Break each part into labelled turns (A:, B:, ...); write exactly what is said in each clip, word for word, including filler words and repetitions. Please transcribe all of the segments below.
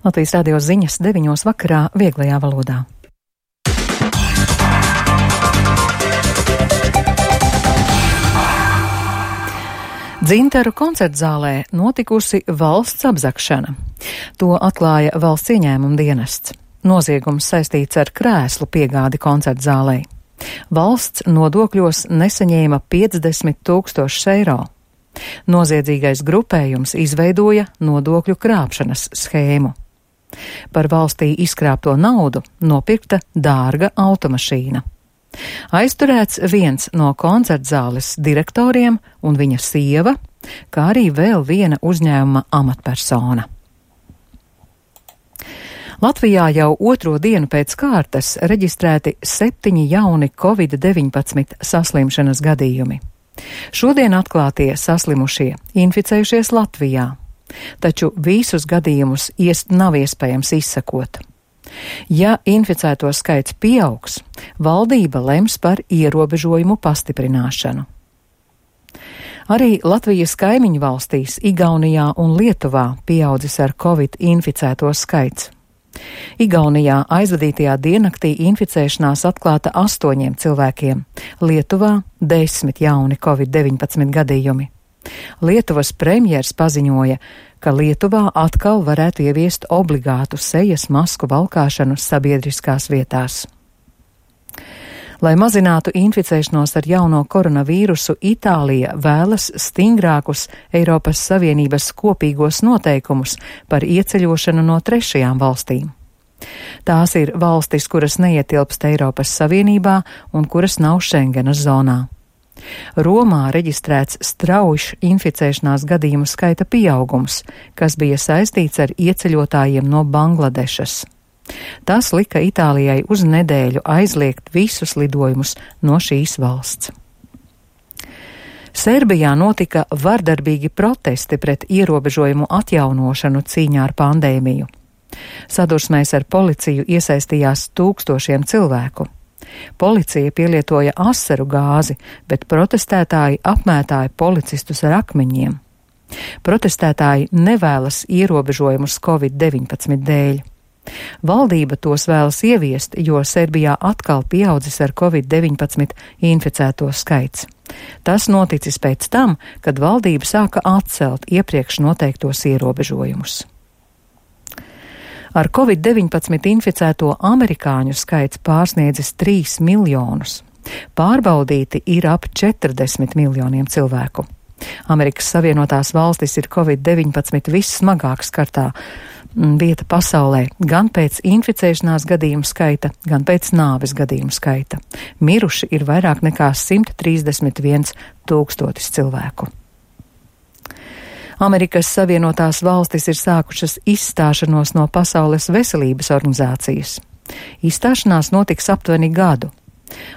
A: Latvijas radio ziņas deviņos vakarā vieglajā valodā. Dzintaru koncertzālē notikusi valsts apzagšana. To atklāja valsts ieņēmuma dienests. Noziegums saistīts ar krēslu piegādi koncertzālei. Valsts nodokļos nesaņēma piecdesmit tūkstošus eiro. Noziedzīgais grupējums izveidoja nodokļu krāpšanas schēmu. Par valstī izkrāpto naudu nopirkta dārga automašīna. Aizturēts viens no koncertzāles direktoriem un viņa sieva, kā arī vēl viena uzņēmuma amatpersona. Latvijā jau otro dienu pēc kārtas reģistrēti septiņi jauni covid deviņpadsmit saslimšanas gadījumi. Šodien atklātie saslimušie inficējušies Latvijā, taču visus gadījumus ies nav iespējams izsekot. Ja inficēto skaits pieaugs, valdība lems par ierobežojumu pastiprināšanu. Arī Latvijas kaimiņu valstīs, Igaunijā un Lietuvā pieaudzis ar covid inficēto skaits. Igaunijā aizvadītajā diennaktī inficēšanās atklāta astoņiem cilvēkiem, Lietuvā desmit jauni covid deviņpadsmit gadījumi. Lietuvas premjers paziņoja, ka Lietuvā atkal varētu ieviest obligātu sejas masku valkāšanu sabiedriskās vietās. Lai mazinātu inficēšanos ar jauno koronavīrusu, Itālija vēlas stingrākus Eiropas Savienības kopīgos noteikumus par ieceļošanu no trešajām valstīm. Tās ir valstis, kuras neietilpst Eiropas Savienībā un kuras nav Šengenas zonā. Romā reģistrēts straujš inficēšanās gadījumu skaita pieaugums, kas bija saistīts ar ieceļotājiem no Bangladešas. Tas lika Itālijai uz nedēļu aizliegt visus lidojumus no šīs valsts. Serbijā notika vardarbīgi protesti pret ierobežojumu atjaunošanu cīņā ar pandēmiju. Sadursmēs ar policiju iesaistījās tūkstošiem cilvēku. Policija pielietoja asaru gāzi, bet protestētāji apmētāja policistus ar akmeņiem. Protestētāji nevēlas ierobežojumus covid deviņpadsmit dēļ. Valdība tos vēlas ieviest, jo Serbijā atkal pieaudzis ar covid deviņpadsmit inficēto skaits. Tas noticis pēc tam, kad valdība sāka atcelt iepriekš noteiktos ierobežojumus. Ar covid deviņpadsmit inficēto amerikāņu skaits pārsniedzis trīs miljonus. Pārbaudīti ir ap četrdesmit miljoniem cilvēku. Amerikas Savienotās valstis ir covid deviņpadsmit vissmagāk skartā vieta pasaulē, gan pēc inficēšanās gadījumu skaita, gan pēc nāves gadījumu skaita. Miruši ir vairāk nekā simt trīsdesmit viens tūkstotis cilvēku. Amerikas Savienotās valstis ir sākušas izstāšanos no Pasaules veselības organizācijas. Izstāšanās notiks aptuveni gadu.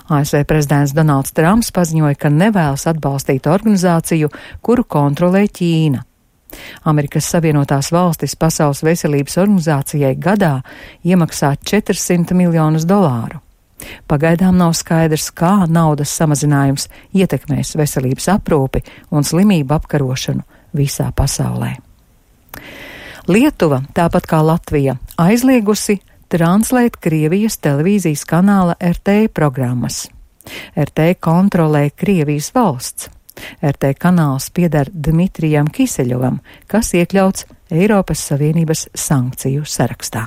A: A S V prezidents Donalds Trumps paziņoja, ka nevēlas atbalstīt organizāciju, kuru kontrolē Ķīna. Amerikas Savienotās valstis Pasaules veselības organizācijai gadā iemaksā četrsimt miljonus dolāru. Pagaidām nav skaidrs, kā naudas samazinājums ietekmēs veselības aprūpi un slimību apkarošanu visā pasaulē. Lietuva, tāpat kā Latvija, aizliegusi translēt Krievijas televīzijas kanāla R T programmas. R T kontrolē Krievijas valsts. R T kanāls pieder Dmitrijam Kiseļovam, kas iekļauts Eiropas Savienības sankciju sarakstā.